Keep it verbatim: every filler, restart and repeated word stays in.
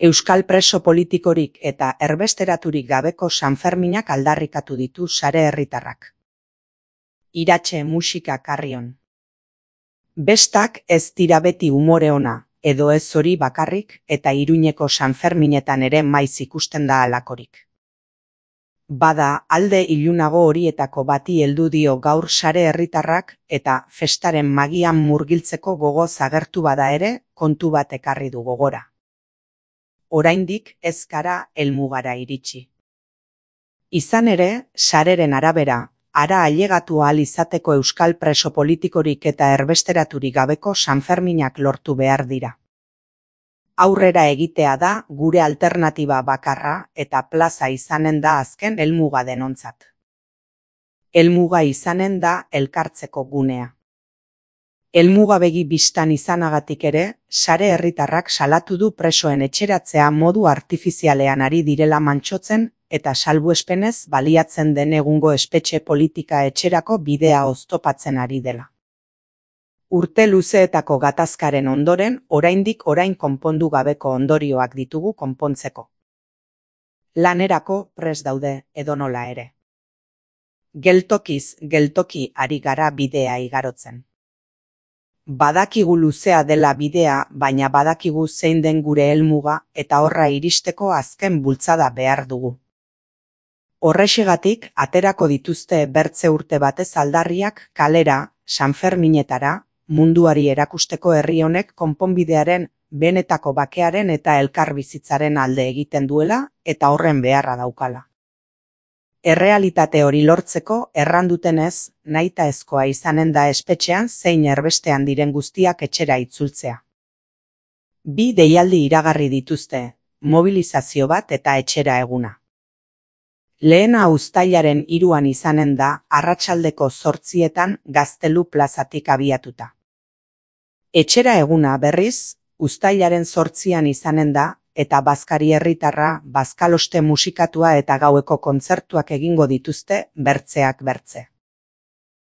Euskal preso politikorik eta erbesteraturik gabeko Sanferminak aldarrikatu ditu sare herritarrak. Iratxe musika karrion. Bestak ez dira beti umore ona, edo ez hori bakarrik, eta Iruñeko Sanferminetan ere maiz ikusten da halakorik. Bada, alde ilunago horietako bati heldu dio gaur sare herritarrak eta festaren magian murgiltzeko gogoz agertu bada ere, kontu bat ekarri du gogora. Oraindik ez gara helmugara iritsi. Izan ere, sareren arabera, hara ailegatu ahal izateko euskal preso politikorik eta erbesteraturik gabeko Sanferminak lortu behar dira. Aurrera egitea da gure alternatiba bakarra eta plaza izanen da azken helmuga denontzat. Helmuga izanen da elkartzeko gunea. Helmuga begi bistan izanagatik ere, sare herritarrak salatu du presoen etxeratzea modu artifizialean ari direla mantsotzen eta salbuespenez baliatzen den egungo espetxe politika etxerako bidea oztopatzen ari dela. Urte luzeetako gatazkaren ondoren, oraindik orain konpondu gabeko ondorioak ditugu konpontzeko. Lanerako prest daude edonola ere. Geltokiz geltoki ari gara bidea igarotzen. Badakigu luzea dela bidea, baina badakigu zein den gure helmuga eta horra iristeko azken bultzada behar dugu. Horrexegatik aterako dituzte bertze urte batez aldarriak kalera, Sanferminetara, munduari erakusteko herri honek konponbidearen, benetako bakearen eta elkarbizitzaren alde egiten duela eta horren beharra daukala. Errealitate hori lortzeko errandutenez, nahitaezkoa izanen da espetxean zein erbestean diren guztiak etxera itzultzea. Bi deialdi iragarri dituzte, mobilizazio bat eta etxera eguna. Lehena uztailaren hiruan izanen da arratsaldeko zortzietan Gaztelu plazatik abiatuta. Etxera eguna berriz, uztailaren zortzian izanen da, eta bazkari herritarra, bazkaloste musikatua eta gaueko kontzertuak egingo dituzte bertzeak bertze.